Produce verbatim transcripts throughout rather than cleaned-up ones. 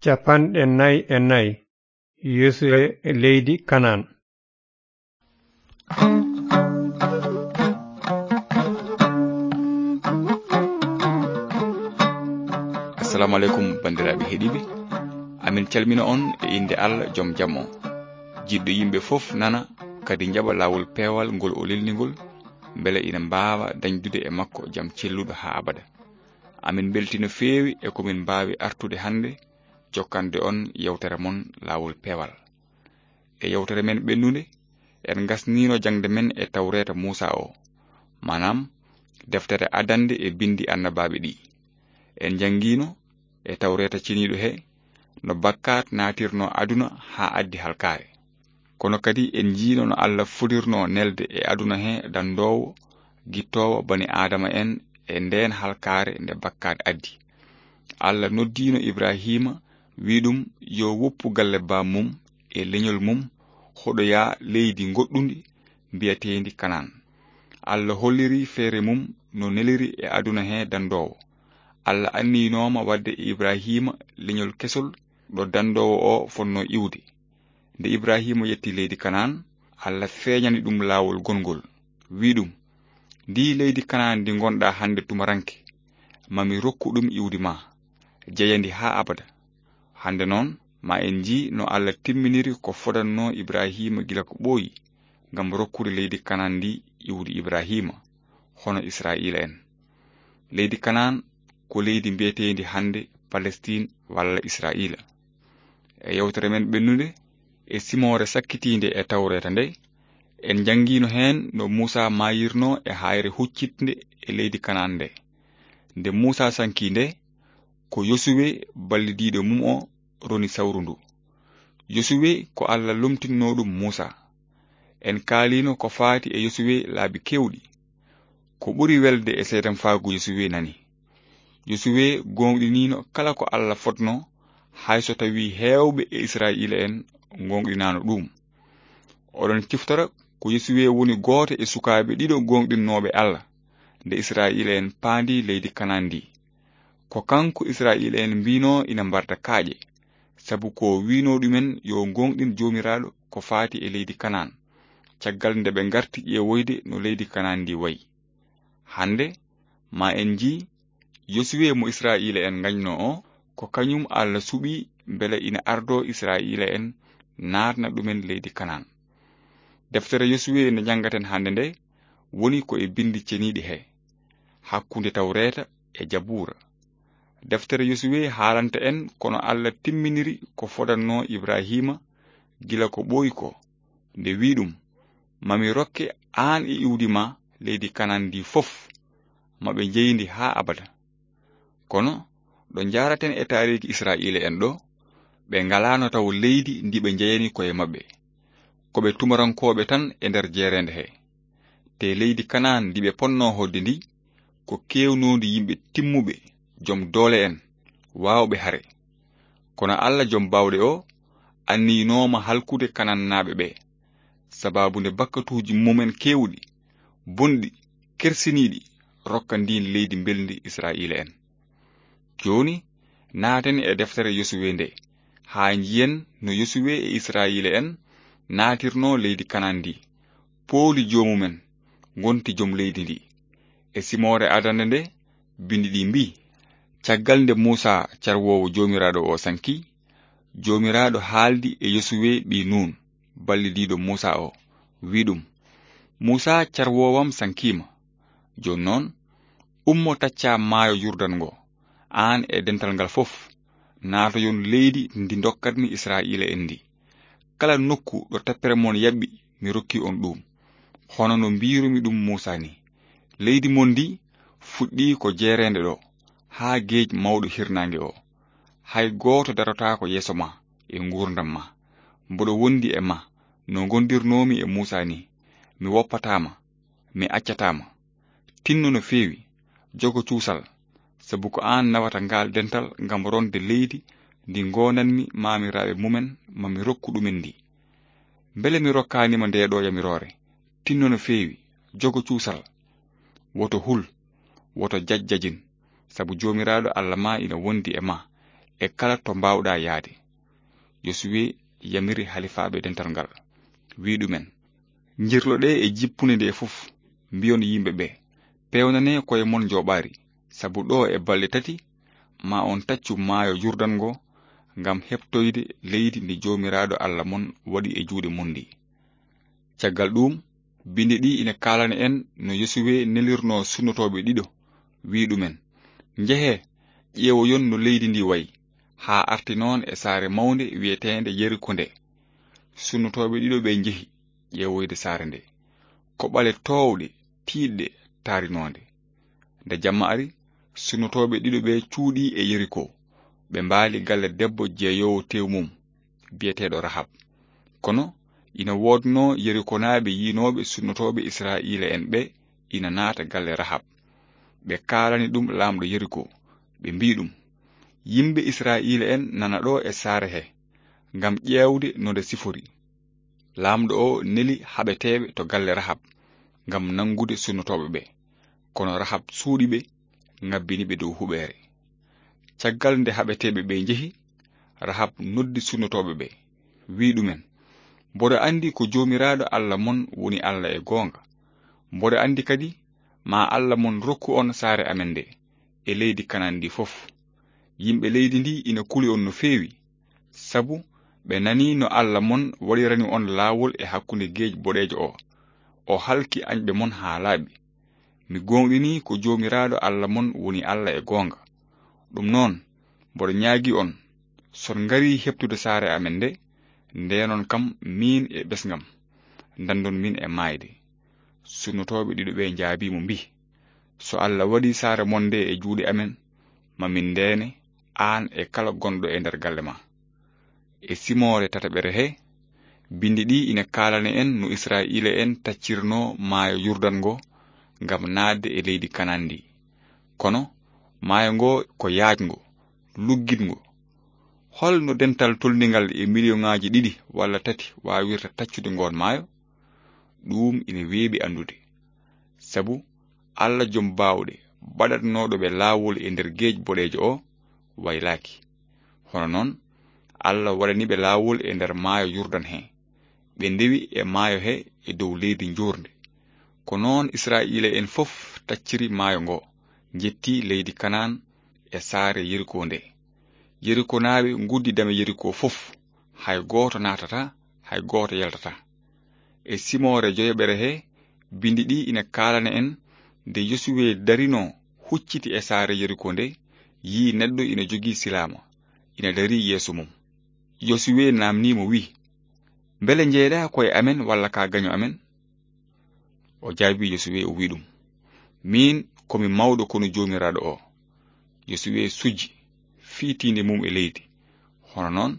Capanɗe nayi e nayi. Yosuwe e leydi Kanaan. Assalamu aleykum, banndiraaɓe heɗiiɓe. Amin calmina on e innde Allah, jom jam on. Jiɗɗo yimɓe fof nana, kadi njaɓa laawol peewal ngol o lelni ngol, mbele ina mbaawa dañdude e makko jam celluɗo haa abada. Amin mbelti no feewi e ko min mbaawi artude hannde, jokkande on yewtere mon laawol peewal. E yewtere men ɓennunde, en ngasniino jaŋde men e tawreeta Muusaa o, maanaam deftere adannde e binndi annabaaɓe ɗi. En njanngiino e tawreeta ceniiɗo he no bakkaat naatirno aduna haa addi halkaare. Kono kadi en njiino no Allah fodirno nelde e aduna he danndoowo, gittoowo bani Aadama en e ndeen halkaare nde bakkaat addi. Allah noddiino Ibrahiima, wi ɗum yo woppu galle baam mum e leñol mum, hoɗoya leydi ngoɗɗundi mbiyeteendi Kanaan. Allah holliri feere mum no neliri e aduna he danndoowo. Allah anniyinooma waɗde e Ibrahiima leñol kesol ɗo danndoowo o fotno iwde. Nde Ibrahiima yetti leydi Kanaan, Allah feeñani ɗum laawol gongol, wi ɗum, ndi leydi Kanaan ndi ngonɗa hannde tumaranke, mami rokku ɗum iwdi ma, jeyandi haa abada. Hannde noon, ma en njii no Allah timminiri ko fodanno Ibrahiima gila ko ɓooyi, ngam rokkude leydi Kanaan ndi iwdi Ibrahiima, hono Israa'iila en. Leydi Kanaan ko leydi mbiyeteendi hannde Palestiin walla Israa'iila. E yewtere men ɓennunde, e simoore sakkitiinde e tawreeta nde, en njanngiino heen no Muusaa maayirno e haayre huccitnde e leydi Kanaan nde. Nde Muusaa sankii nde, ko Yosuwe ballidiiɗo mum o roni sawru ndu. Yosuwe ko Allah lomtinno ɗum Muusaa. En kaaliino ko faati e Yosuwe laabi keewɗi. Ko ɓuri welde e seedamfaagu Yosuwe nani. Yosuwe gooŋɗiniino kala ko Allah fotno, hay so tawii heewɓe e Israa'iila en gooŋɗinaano ɗuum. Oɗon ciftora ko Yosuwe woni gooto e sukaaɓe ɗiɗo gooŋɗinnooɓe Allah, nde Israa'iila en paandi leydi Kanaan ndi. Ko kanko Israa'iila en mbiinoo ina mbarda kaaƴe, sabu ko wiinoo ɗumen yo gooŋɗin Joomiraaɗo ko faati e leydi Kanaan, caggal nde ɓe ngarti ƴeewoyde no leydi Kanaan ndi wayi. Hannde, ma en njii, Yosuwe mo Israa'iila en ngañnoo o, ko kañum Allah suɓii mbele ina ardoo Israa'iila en naatna ɗumen leydi Kanaan. Deftere Yosuwe nde njanngaten hannde nde woni ko e binndi ceniiɗi he, hakkunde Tawreeta e Jabuura. Deftere Yosuwe haalanta en kono Allah timminiri ko fodanno Ibrahiima gila ko ɓooyi ko, nde wi ɗum, mami rokke aan e iwdi ma leydi Kanaan ndi fof, maɓe njeyndi haa abada. Kono ɗo njaaraten e taariiki Israa'iila en ɗo, ɓe ngalaano taw leydi ndi ɓe njeyani koye maɓɓe. Ko ɓe tumarankooɓe tan e nder jeereende he. Te leydi Kanaan ndi ɓe ponnoo hoɗde ndi, ko keewnoondi yimɓe timmuɓe, jom doole en, waawɓe hare. Kono Allah jom baawɗe o anniyinooma halkude Kanaannaaɓe ɓe, sabaabu nde bakkatuuji mumen keewɗi, bonɗi, kersiniiɗi, rokka ndiin leydi mbelndi Israa'iila en. Jooni, naaten e deftere Yosuwe nde, haa njiyen no Yosuwe e Israa'iila en naatirnoo leydi Kanaan ndi, pooli joomumen, ngonti jom leydi ndi. E simoore adannde nde, binndi ɗi mbii, caggal nde Muusaa carwoowo Joomiraaɗo o sankii, Joomiraaɗo haaldi e Yosuwe ɓii Nuun, ballidiiɗo Muusaa o, wi ɗum, Muusaa carwoowam sankiima. Jooni noon, ummo taccaa maayo Yurdan ngo, aan e dental ngal fof, naatoyon leydi ndi ndokkatmi Israa'iila en ndi. Kala nokku ɗo tappere mon yaɓɓi, mi rokki on ɗum, hono no mbiirumi ɗum Muusaa ni. Leydi mon ndi fuɗɗii ko jeereende ɗo, haa geej mawɗo hirnaange o. Hay gooto darotaako yeeso ma e nguurndam ma. Mboɗo wondi e ma no ngondirnoomi e Muusaa ni. Mi woppataa ma, mi accataa ma. Tinno no feewi, jogo cuusal, sabu ko aan nawata ngaal dental ngam ronde leydi ndi ngoonanmi maamiraaɓe mumen ma mi rokku ɗumen ndi. Mbele mi rokkaani ma ndee ɗoo yamiroore? Tinno no feewi, jogo cuusal. Woto hul, woto jajjajin, sabu Joomiraaɗo Allah ma ina wondi e ma. e kala to mbaawɗaa yahde. Yosuwe yamiri halifaaɓe dental ngal, wi'i ɗum'en, njirloɗee e jippunde nde fof, mbi'on yimɓe ɓe, peewnanee ko'e mon njooɓaari, sabu ɗoo e balɗe tati maa on taccu maayo Yurdan ngo ngam heɓtoyde leydi ndi Joomiraaɗo Alla mon waɗi e juuɗe mon ndi. Caggal ɗuum, bindi ɗi ina kaalana en no Yosuwe nelirnoo sunnotooɓe ɗiɗo, wi'i ɗum'en, njehee, ƴeewoyon no leydi ndi wayi, haa arti noon e saare mawnde wi'eteende Yeriko nde. Sunnotooɓe ɗiɗo ɓe njehi ƴeewoyde saare nde. Ko ɓale toowɗe, tiiɗɗe, taarinoonde. Nde jamma ari, sunnotooɓe ɗiɗo ɓe cuuɗii e Yeriko. Ɓe mbaali galle debbo jeeyoowo tew mum, bi'eteeɗo Rahab. Kono ina woodnoo Yerikonaaɓe yi'nooɓe sunnotooɓe Israa'iila'en ɓe ina naata galle Rahab. Ɓe kaalani ɗum laamɗo Yeriko, ɓe mbi'i ɗum, yimɓe Israa'iila'en nana ɗo e saare he, ngam ƴeewde no nde sifori. Laamɗo o neli haɓeteeɓe to galle Rahab ngam nanngude sunnotooɓe ɓe, kono Rahab suuɗi ɓe, ngabbini ɓe dow huɓeere. Caggal nde haɓeteeɓe ɓe njehi, Rahab noddi sunnotooɓe ɓe, wi'i ɗum'en, mboɗo anndi ko Joomiraaɗo Alla mon woni Alla e goonga. Mboɗo anndi kadi maa Alla mon rokku on saare amen nde e leydi Kanaan ndi fof. Yimɓe leydi ndi ina kuli on no feewi, sabu ɓe nanii no Alla mon waɗirani on laawol e hakkunde geej boɗeejo o. O halki añɓe mon haa laaɓi. Mi gooŋɗinii ko Joomiraaɗo Alla mon woni Alla e goonga. Ɗum noon, mboɗo ñaagii on, so on ngarii heɓtude saare amen nde, ndeenon kam miin e ɓesngam, ndanndon min e maayde. Sunnotooɓe ɗiɗo ɓe njaabii mo mbi'i, so Alla waɗii saare mon nde e juuɗe amen, ma min ndeene, aan e kala gonɗo e nder galle ma. E simoore tataɓere he, bindi ɗi ina kaalana en no Israa'iila'en taccirnoo maayo Yurdan ngo ngam naatde e leydi Kanaan ndi. Kono maayo ngo ko yaajngo, luggiɗngo. Hol no dental tolningal e miliyoŋaaji ɗiɗi walla tati waawirta taccude ngoon maayo? Ɗuum ina weeɓi anndude. Sabu Alla Jom Baawɗe, baɗatnooɗo ɓe laawol e nder geej boɗeejo o, waylaaki. Hono noon, Alla waɗani ɓe laawol e nder maayo Yurdan he. Ɓe ndewi e maayo he e dow leydi njoorndi. Ko noon Israa'iila'en fof tacciri maayo ngo, njetti leydi Kanaan e saare Yeriko nde. Yerikonaaɓe nguddi dame Yeriko fof, hay gooto naatataa, hay gooto yaltataa. E simoore joyaɓere he, bindi ɗi ina kaalana en nde Yosuwe darinoo hucciti e saare Yeriko nde, yi'i neɗɗo ina jogii silaama, ina darii yeeso mum. Yosuwe naamnii mo, wi'i, mbele njeyɗaa ko e amen walla ka gaño amen? O jaabii Yosuwe, o wi'i ɗum, miin ko mi mawɗo konu Joomiraaɗo o. Yosuwe sujji, fii tiinde mum e leydi. Hono noon,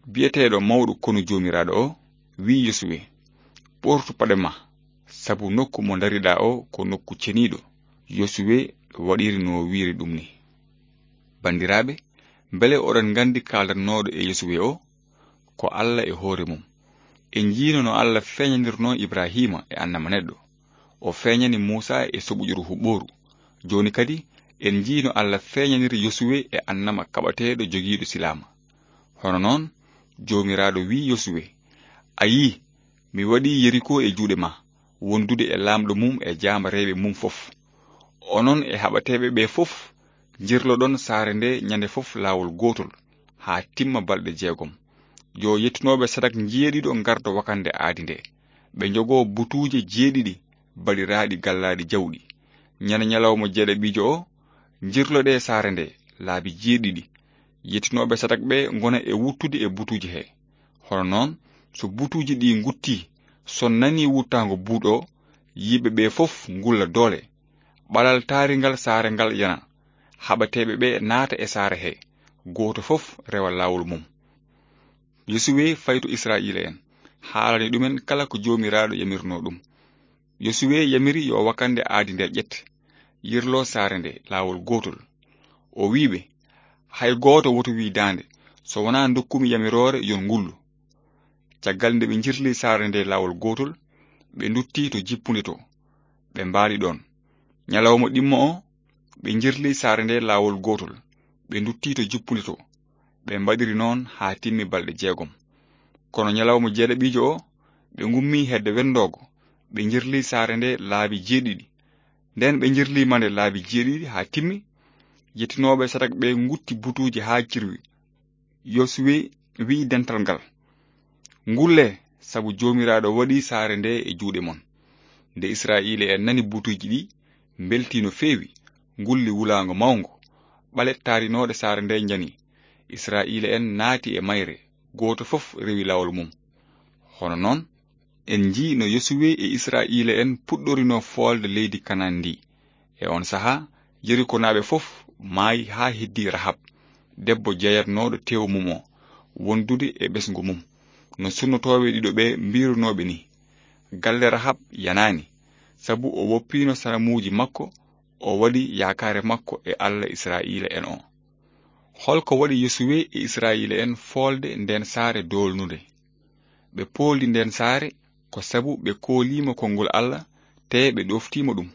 bi'eteeɗo mawɗo konu Joomiraaɗo o wi'i Yosuwe, ɓortu paɗe ma, sabu nokku mo ndariɗaa o ko nokku ceniiɗo. Yosuwe waɗiri no wi'iri ɗum ni. Banndiraaɓe, mbele oɗon nganndi kaaldatnooɗo e Yosuwe o? Ko Alla e hoore mum. En njiino no Alla feeñanirnoo Ibrahiima e annama neɗɗo. O feeñani Muusaa e soɓuƴuru huɓɓooru. Jooni kadi, en njiino Alla feeñaniri Yosuwe e annama kaɓateeɗo jogiiɗo silaama. Hono noon, Joomiraaɗo wi'i Yosuwe, a yii, mi waɗii Yeriko e juuɗe ma, wondude e laamɗo mum e jaambareeɓe mum fof. Onon e haɓateeɓe ɓe fof, njirloɗon saare nde ñande fof laawol gootol, haa timma balɗe jeegom. Yo yettunooɓe sadak njeeɗiɗo ngardo wakande aadi nde. Ɓe njogoo butuuje jeeɗiɗi baɗiraaɗi gallaaɗi jawɗi. Ñande ñalawma jeeɗaɓiijo o, njirloɗee saare nde laabi jeeɗiɗi. Yettunooɓe sadak ɓe ngona e wuttude e butuuje he. Hono noon, so butuuje ɗi nguttii, so nanii wuttaango buuɗo o, yimɓe ɓe fof ngulla doole. Ɓalal taaringal saare ngal yana. Haɓateeɓe ɓe naata e saare he, gooto fof rewa laawol mum. Yosuwe fayi to Israa'iila'en, haalani ɗum'en kala ko Joomiraaɗo yamirnoo ɗum. Yosuwe yamiri yo wakande aadi nde ƴette, yirlo saare nde laawol gootol. O wi'i ɓe, hay gooto woto wi'i daande, so wonaa ndokkumi yamiroore yon ngullu. Caggal nde ɓe njirli saare nde laawol gootol, ɓe ndutti to jippunde to, ɓe mbaali ɗoon. Ñalawma ɗimmo o, ɓe njirli saare nde laawol gootol, ɓe ndutti to jippunde to, Ɓe mbaɗiri noon haa timmi balɗe jeegom. Kono ñalawma jeeɗaɓiijo o, ɓe ngummii hedde wenndoogo, ɓe njirlii saare nde laabi jeeɗiɗi. Nden ɓe njirlii ma nde laabi jeeɗiɗi haa timmi, yettinooɓe sadak ɓe ngutti butuuji haa cirwi. Yosuwe wi'i dental ngal, "Ngullee, sabu Joomiraaɗo waɗii saare nde e juuɗe mon." Nde Israa'iila'en nani butuuji ɗi, mbeltii no feewi, ngulli wulaango mawngo. Ɓale taarinooɗe saare nde njani. Israa'iila'en naati e mayre, gooto fof rewi laawol mum. Hono noon, en njii no Yosuwe e Israa'iila'en puɗɗorinoo foolde leydi Kanaan ndi. E on sahaa, Yerikonaaɓe fof maayi haa heddii Rahab, debbo jeyatnooɗo tew mum o, wondude e ɓesngu mum, no sunnotooɓe ɗiɗo ɓe mbiirunooɓe ni. Galle Rahab yanaani, sabu o woppiino sanamuuji makko, o waɗi yaakaare makko e Alla Israa'iila'en o. Holko waɗi Yosuwe e Israa'iila'en foolde nden saare doolnunde? Ɓe pooldi nden saare ko sabu ɓe kooliima konngol Alla, tee ɓe ɗoftiima ɗum.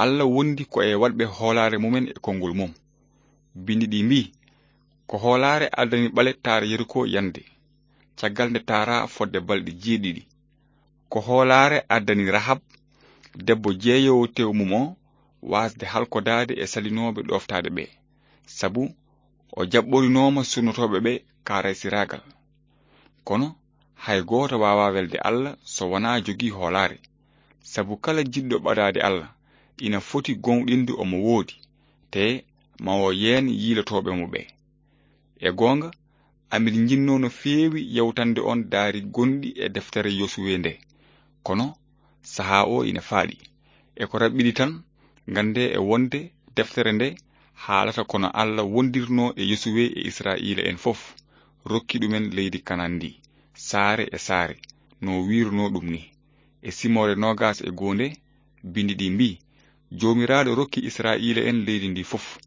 Alla wondi ko e waɗɓe hoolaare mumen e konngol mum. Bindi ɗi mbii, "Ko hoolaare addani ɓale taara Yeriko yande, caggal nde taaraa fodde balɗe jeeɗiɗi." Ko hoolaare addani Rahab, debbo jeeyoowo tew mum o, waasde halkodaade e salinooɓe ɗoftaade ɓe, sabu o jaɓɓorinooma sunnotooɓe ɓe kaaraysiraagal. Kono hay gooto waawaa welde Alla so wonaa jogii hoolaare, sabu kala jiɗɗo ɓadaade Alla ina foti gooŋɗinde omo woodi, tee ma o yeen yiilotooɓe mo ɓe. E goonga, amin njinnoo no feewi yewtande on daari gonɗi e deftere Yosuwe nde. Kono sahaa o ina faaɗi. E ko raɓɓiɗi tan, nganndee e wonde deftere nde haalata ko no Alla wondirnoo e Yosuwe e Israa'iila'en fof, rokki ɗumen leydi Kanaan ndi, saare e saare, no wiirunoo ɗum ni. E simoore noogas e goo nde, bindi ɗi mbii, "Joomiraaɗo rokki Israa'iila'en leydi ndi fof,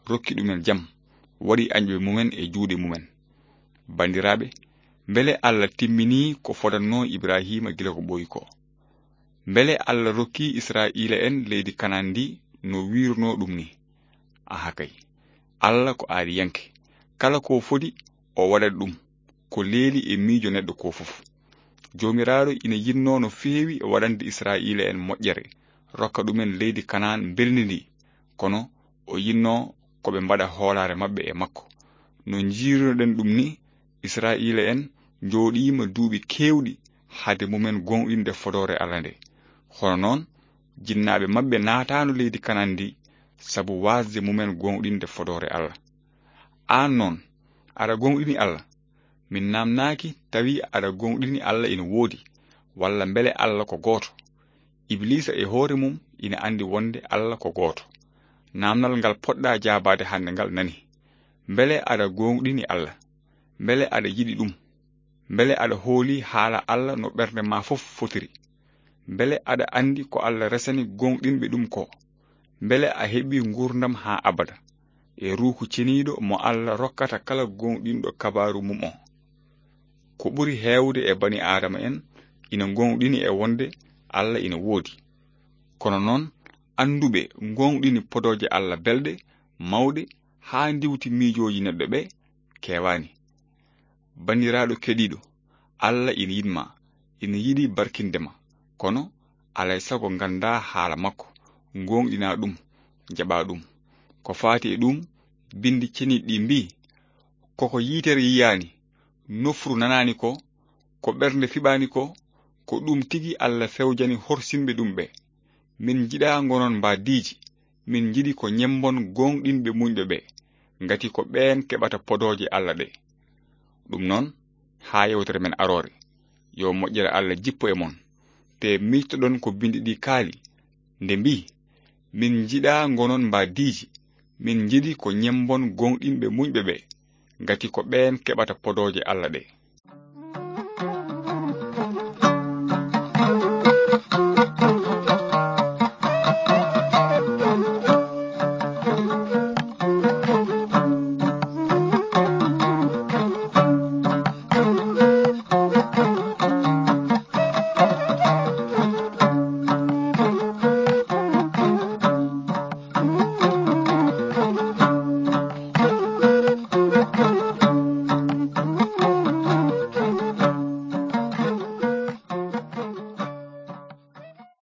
rokki ɗumen jam, waɗi añɓe mumen e juuɗe mumen." Banndiraaɓe, mbele Alla timminii ko fodannoo Ibrahiima gila ko ɓooyi ko? Mbele Alla rokkii Israa'iila'en leydi Kanaan ndi no wiirunoo ɗum ni? Aha kay. Alla ko aadiyanke. Kala ko fodi, o waɗat ɗum ko leeli e miijo neɗɗo ko fof. Joomiraaɗo ina yinnoo no feewi waɗande Israa'iila'en moƴƴere, rokka ɗumen leydi Kanaan mbelndi ndi, kono o yinnoo ko ɓe mbaɗa hoolaare maɓɓe e makko. No njiirunoɗen ɗum ni, Israa'iila'en njooɗiima duuɓi keewɗi hade mumen gooŋɗinde fodoore Alla nde. Hono noon, jinnaaɓe maɓɓe naataano leydi Kanaan ndi sabu waasde mumen gooŋɗinde fodoore Alla. Aan noon, aɗa gooŋɗini Alla? Min naamnaaki tawi aɗa gooŋɗini Alla ina woodi, walla mbele Alla ko gooto. Ibiliisa e hoore mum ina anndi wonde Alla ko gooto. Naamnal ngal poɗɗa jaabaade hannde ngal nani: mbele aɗa gooŋɗini Alla? Mbele aɗa yiɗi ɗum? Mbele aɗa hooli haala Alla no ɓernde ma fof fotiri? Mbele aɗa anndi ko Alla resani gooŋɗinɓe ɗum ko? Mbele a heɓi nguurndam haa abada e Ruuhu Ceniiɗo mo Alla rokkata kala gooŋɗinɗo kabaaru mum o? Ko ɓuri heewde e bani Aadama en ina gooŋɗini e wonde Alla ina woodi. Kono noon, annduɓe gooŋɗini podooje Alla belɗe, mawɗe, haa ndiwti miijooji neɗɗo ɓe, keewaani. Banndiraaɗo keɗiiɗo, Alla ina yiɗ ma, ina yiɗi barkinde ma, kono alay sago nganndaa haala makko, ngooŋɗinaa ɗum, jaɓaa ɗum. Ko faati e ɗum, Binndi ceniiɗi ɗi mbii, "Koko yitere yiyaani, nofru nanaani ko, ko ɓernde fiɓaani ko, ko ɗum tigi Alla fewjani horsinɓe ɗum ɓe. Min njiɗaa ngonon mbaadiiji, min njiɗi ko ñemmbon gooŋɗinɓe muñɓe ɓe, ngati ko ɓeen keɓata podooje Alla ɗe." Ɗum noon, haa yewtere men aroore, yo moƴƴere Alla jippo e mon, te miijtoɗon ko Binndi ɗi kaali, nde mbii, "Min njiɗaa ngonon mbaadiiji, min njiɗi ko ñemmbon gooŋɗinɓe muñɓe ɓe, ngati ko ɓeen keɓata podooje Alla ɗe."